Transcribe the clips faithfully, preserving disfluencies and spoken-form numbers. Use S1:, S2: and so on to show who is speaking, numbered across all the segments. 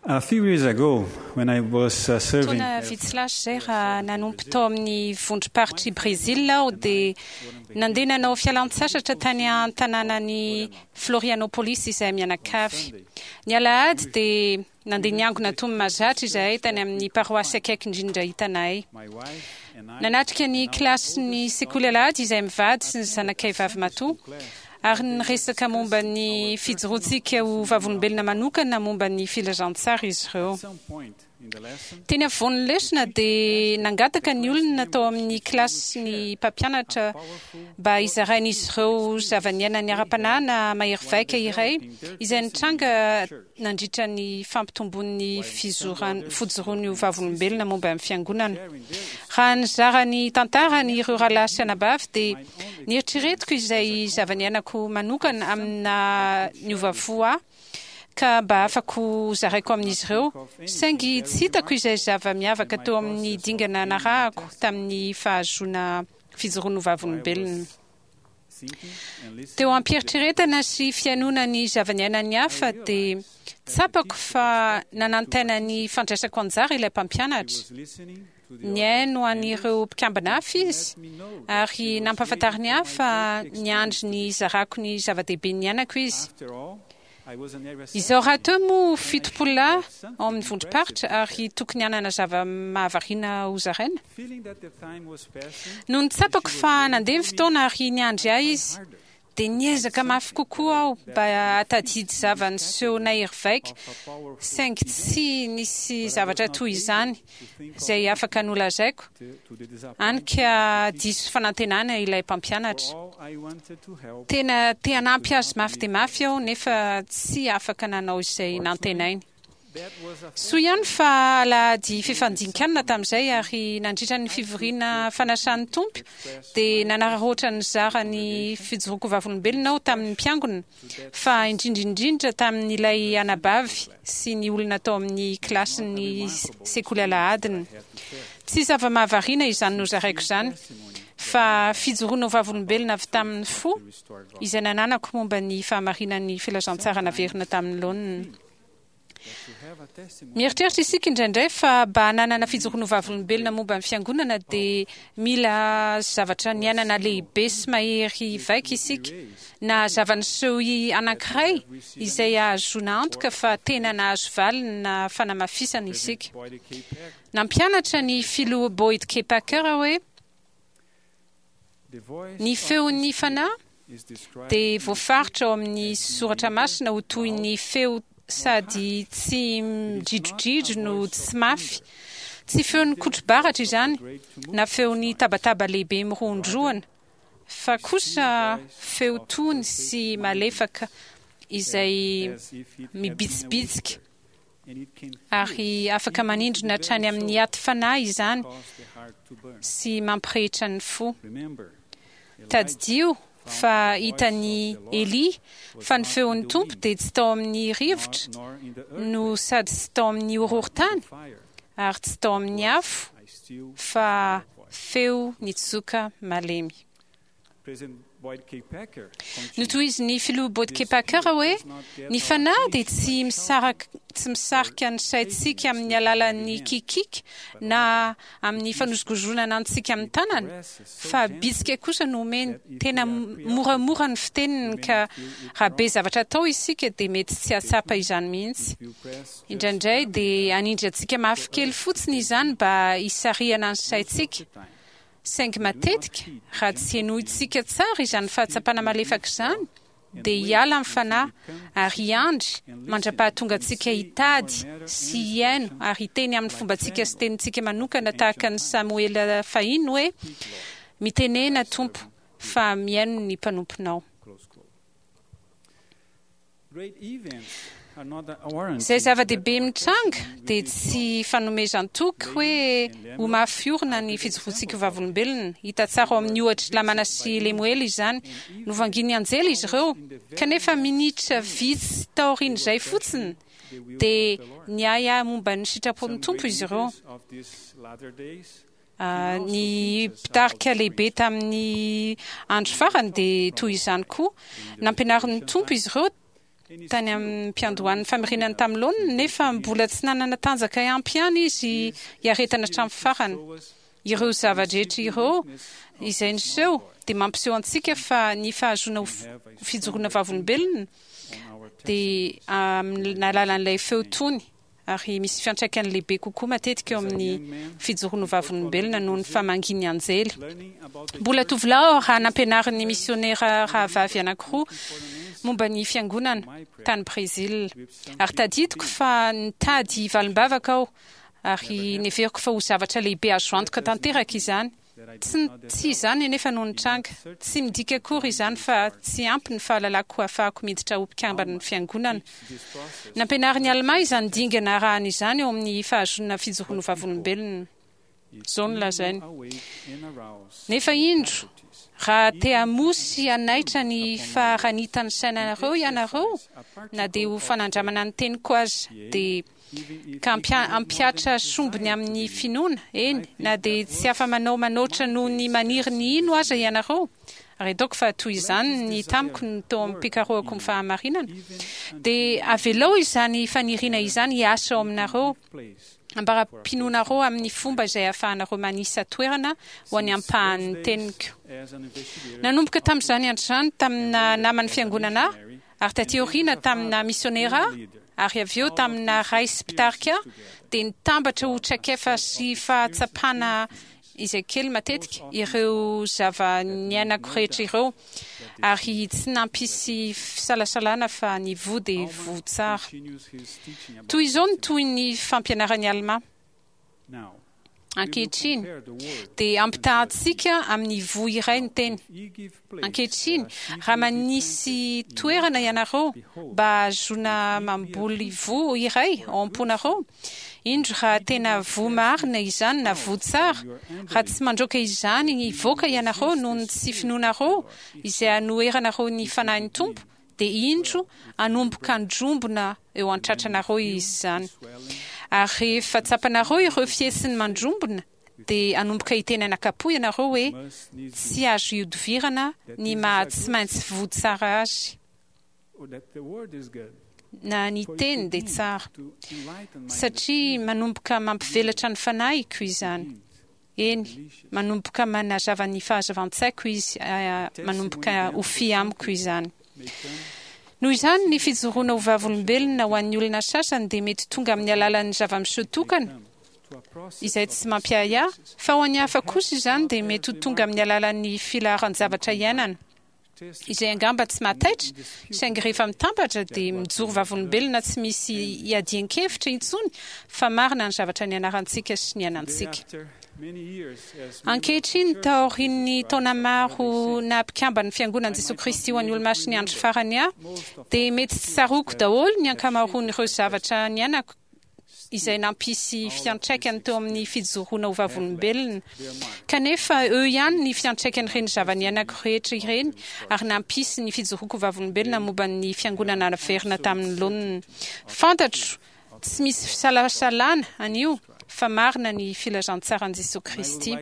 S1: A few years ago, when I was uh, serving
S2: Taona vitsy lasa izay, raha nanompo tao amin'ny vondrom-paritr'i Brésil aho, dia nandeha nanao fialan-tsasatra tany an-tanànan'i Florianopolis izahay mianakavy. Ny alahady dia nandeha niangona toy ny mahazatra izahay tany amin'ny paroasy akaiky indrindra hitanay.
S1: My wife and I
S2: Nanatrika ny kilasin'ny sekoly alahady izahay mivady sy ny zanakay vavy matoa, ary niresaka momba ny fijoroantsika ho vavolombelona manokana momba ny filazantsara izy ireo.
S1: At some point in the lesson,
S2: Teny afovoan'ny lesona dia nangataka ny olona tao amin'ny kilasy ny mpampianatra mba hizarain'izy ireo zava-niainany ara-panahy na mahery vaika iray izay nitranga nandritra ny fampitomboan'ny fizoran- fijoroany ho vavolombelona momba ny fiangonana. Raha nizara ny tantarany ireo rahalahy sy anabavy, dia nieritreretiko izay zava-niainako manokana amina niova fo ahy ka mba afako zaraiko amin'izy ireo, saingy tsy hitako izay zava-miavaka teo amin'ny dingana narahako tamin'ny fahazoana fijoroana ho vavolombelona.
S1: Thinking and listening
S2: Teo am-pieritreretana sy fihainoana ny zava-niainan'ny hafa, dia tsapako fa nanantena ny fandraisako anjara ilay mpampianatra.
S1: Was listening to the
S2: Nihaino an'ireo mpikambana hafa izy ary nampahafantariny ahy fa niandry ny hizarako ny zava-dehibe niainako izy.
S1: After all, I was an area
S2: Izao rahateo moa fitopolo lahy ao amin'ny vondrom-paritra ary tokony hanana zava-mahavariana ho zaraina.
S1: Feeling that the time was passing,
S2: Noho ny tsapako fa nandeha ny fotoana ary niandry ahy izy, dia niezaka mafy kokoa aho mba hahatadidy zava-niseho nahery vaika, saingy tsy nisy zavatra toy izany izay afaka nolazaiko,
S1: to, to the disappointment.
S2: Hany ka diso fanantenana ilay mpampianatra.
S1: For all I wanted to help,
S2: Tena te hanampy azy mafy dia mafy aho, nefa tsy afaka nanao izay nantenainy.
S1: That was a
S2: Soa ihany fa alahady fifandian-kanina tamin'izay, ary nandritra ny fivoriana fanasan'ny Tompo dia nanararaotra nizara ny fijoroako vavolombelona aho tamin'ny mpiangona, fa indrindrindrindra tamin'ilay anabavy sy ny olona tao amin'ny kilasin'ny sekoly alahadiny. Tsy zava-mahavariana izany nozaraiko izany, fa fijoroana ho vavolombelona avy tamin'ny fo
S1: restored God.
S2: Izay nananako momba ny fahamarinan'ny filazantsara naverina tamin'ny laoniny.
S1: To have a testimony
S2: Mieritreritra isika indraindray fa mba hananana fijoroana ho vavolombelona momba ny fiangonana dia mila zavatra niainana lehibe sy mahery vaika isika, na zava-niseho anankiray izay ahazoana antoka fa tena nahazo valiny na fanamafisana isika.
S1: Boyd K. Packer,
S2: Nampianatra ny filoha Boyd K. Packer hoe
S1: the voice
S2: ny
S1: of the
S2: feon'ny
S1: Spirit
S2: fanahy
S1: is described
S2: dia voafaritra ao amin'ny soratra masina ho toy ny feo sady tsy midridrodridro no tsy mafy. Tsy feon'ny kotro-baratra izany na feon'ny tabataba lehibe mirohondrohana, fa kosa feo tony sy malefaka izay
S1: as if it had been a
S2: mibitsibitsika
S1: whisper, and it can
S2: ary afaka manindrona hatrany amin'ny aty fanahy izany
S1: cause the heart to burn.
S2: sy mampirehitra ny fo.
S1: Remember,
S2: Tadidio fa hitan'i Elia fa ny feon'ny Tompo dia tsy tao amin'ny rivotra
S1: nor in the earth
S2: no sady tsy tao amin'ny horohorontany
S1: fire,
S2: ary tsy tao amin'ny afo,
S1: I still
S2: fa feo nitsoka malemy.
S1: President Boyd K. Packer
S2: Notohizin'ny filoha Boyd K. Packer hoe ny fanahy dia tsy misaraka tsy misarika ny saintsika amin'ny alalan'ny kikiky na amin'ny fanozongozonana antsika amin'ny tanana, fa bitsika kosa no omeny. Tena moramora ny fiteniny, ka raha be zavatra atao isika dia mety tsy hahatsapa izany mihitsy.
S1: You press
S2: Indraindray dia hanindry antsika mafy kely fotsiny izany mba hisarihana ny saintsika, saingy matetika raha tsy henointsika tsara izany fahatsapana malefaka izany, dia hiala amin'ny fanahy ary hiandry mandra-pahatonga antsika hitady sy hihaino ary hiteny amin'ny fombantsika sy tenintsika manokana, tahaka ny Samoela fahiny hoe: "Mitenena, Tompo, fa mihaino ny mpanomponao."
S1: Close quote. Great events are not a warranty
S2: Izay zava-dehibe mitranga dia tsy fanomezan-toky hoe ho mafy orina ny fijoroantsika ho vavolombelona. Hita tsara ao amin'ny ohatry Lamana sy Lemoela izany. Novangian'ny anjely izy ireo, kanefa minitra vitsy taorian'izay fotsiny dia niahiahy momba ny sitrapon'ny Tompo izy ireo.
S1: Of these latter days
S2: Ah, ny mpitarika lehibe tamin'ny andro farany dia toy izany koa. Nampianarin'ny Tompo izy ireo tany amin'ny mpiandohan'ny famerenany tamin'ny laoniny, nefa mbola tsy nanana tanjaka ampy ihany izy hiaretana hatramin'ny farany. Ireo zava-drehetra ireo izay niseho dia mampiseho antsika fa ny fahazoana ho fijoroana vavolombelona dia amin'ny alalan'ilay feo tony, ary misy fiantraikany lehibe kokoa matetika eo amin'ny fijoroana vavolombelona noho ny famangian'ny anjely. Mbola tovolahy aho raha nampianarin'ny misionera rahavavy anankiroa momba ny fiangonana tany Brezila, ary tadidiko fa nitady valim-bavaka aho, ary neveriko fa ho zavatra lehibe azo antoka tanteraka izany. Tsy tsy izany anefa no nitranga. Tsy midika akory izany fa tsy ampy ny fahalalako ahafahako miditra ho mpikamban'ny fiangonana. Nampianarin'i Alma izany dingana arahana izany eo amin'ny fahazoana fijoroana vavolombelona. Izao no lazainy: nefa indro, raha te hamoha sy hanaitra ny faharanitan'ny sainareo ianareo, na dia ho fanandramana ny teniko aza, dia ka hampihatra sombiny amin'ny finoana, eny, na dia tsy afa-manao manoatra noho ny maniry ny hino aza ianareo, ary ataoko fa toy izany ny tamiko ny tao amin'ny mpikarohako ny fahamarinana, dia avelao izany faniriana izany hiasa ao aminareo, ambara-pinoanareo amin'ny fomba izay ahafahanareo manisa toerana ho an'ny ampahan'ny teniko. Nanomboka tamin'izany andro izany tamina naman'ny fiangonana ahy, ary taty aoriana tamina misionera ahy, ary avy eo tamina ray sy mpitarika, dia nitambatra ho traikefa sy fahatsapana izay kely matetika ireo zava-niainako rehetra ireo, ary tsy nampisy fisalasalana fa ny voa dia voa tsara. Toy izao ny toy ny fampianaran'i Alma: ankehitriny dia ampitahantsika amin'ny voa iray ny teny. Ankehitriny, raha manisy toerana ianareo mba hahazoana mamboly voa iray ao am-ponareo, indro raha tena voa marina izany na voa tsara, raha tsy mandroaka izany hivoaka ianareo noho ny tsy finoanareo izay hanoheranareo ny fanahin'ny Tompo, dia indro hanomboka handrombona eo an-tratranareo izy izany. Ary rehefa tsapanareo ireo fihetsiny mandrombona, dia hanomboka hiteny anakapo ianareo hoe tsy azo ihodivirana ny maha tsy maintsy voa tsara azy, na ny teny dia tsara, satria manomboka mampivelatra ny fanahiko izany. Eny, manomboka manazava ny fahazavan-tsaiko izy, manomboka ho fy amiko izany. Noho izany, ny fijoroana ho vavolombelona ho an'ny olona sasany dia mety tonga amin'ny alalan'ny zava-miseho tokana izay tsy mampiahiahy, fa ho an'ny hafa kosa izany dia mety ho tonga amin'ny alalan'ny filaharan-javatra iainana izay angamba tsy mahataitra, saingy rehefa mitambatra dia mijoro vavolombelona tsy misy iadian-kevitra intsony fa marina ny zavatra nianarantsika sy niainantsika. Ankehitriny, taorian'ny taona maro naha-mpikamban'ny Fiangonan'i Jesoa Kristy ho an'ny Olomasin'ny Andro Farany ahy, dia mety tsy tsaroako daholo ny ankamaroan'ireo zavatra niainako izay nampisy fiantraikany teo amin'ny fijoroana ho vavolombelona. Kanefa eo ihany ny fiantraikan'ireny zava-niainako rehetra ireny, ary nampisy ny fijoroako ho vavolombelona momba ny fiangonana naverina tamin'ny laoniny. Fantatro tsy misy fisalasalana anio fa marina ny filazantsaran'i Jesoa Kristy.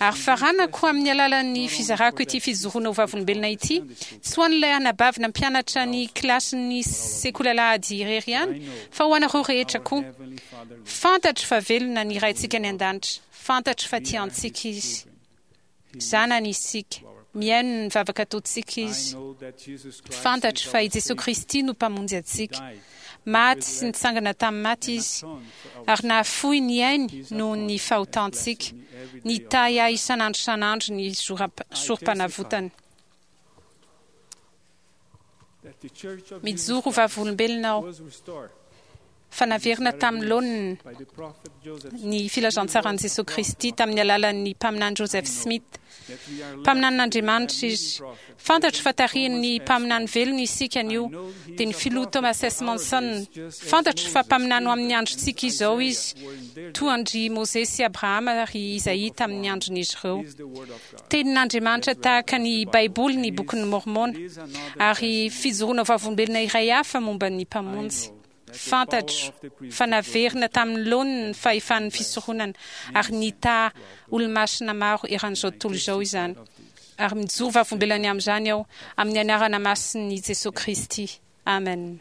S2: Ary faranako amin'ny alalan'ny fizarako ity fijoroana ho vavolombelona ity, tsy ho an'ilay anabavy nampianatra ny kilasin'ny sekoly alahady irery ihany, fa ho anareo rehetra koa. Fantatro fa velona ny Raintsika any an-danitra. Fantatro fa tia antsika Izy. Zanany isika. Mihaino ny vavaka ataontsika Izy. Fantatro fa i Jesoa Kristy no Mpamonjy antsika. Maty sy nitsangana tamin'ny maty Izy, ary nahafoy ny ainy noho ny fahotantsika. Nitahy ahy isan'andro isan'andro ny sorom-panavotany. Mijoro ho vavolombelona aho fa naverina tamin'ny laoniny ny filazantsaran'i Jesoa Kristy tamin'ny alalan'ny mpaminany Joseph Smith. Mpaminanin'Andriamanitra izy. Fantatro fa tarihin'ny mpaminany velona isika anio, dia ny filoha Thomas S. Monson. Fantatro fa mpaminany ho amin'ny androntsika izao izy, toa an-dry Mosesy sy Abrahama ary Isaia tamin'ny andron'izy ireo. Tenin'Andriamanitra tahaka ny Baiboly ny Bokin'i Môrmôna, ary fijoroana vavolombelona iray hafa momba ny Mpamonjy. Fantatro fa naverina tamin'ny laoniny ny fahefan'ny fisoronana, ary nitaha olomasina maro eran'izao tontolo izao izany. Ary mijoro vavolombelona ny amin'izany aho, amin'ny anarana masin'i Jesoa Kristy. Amen.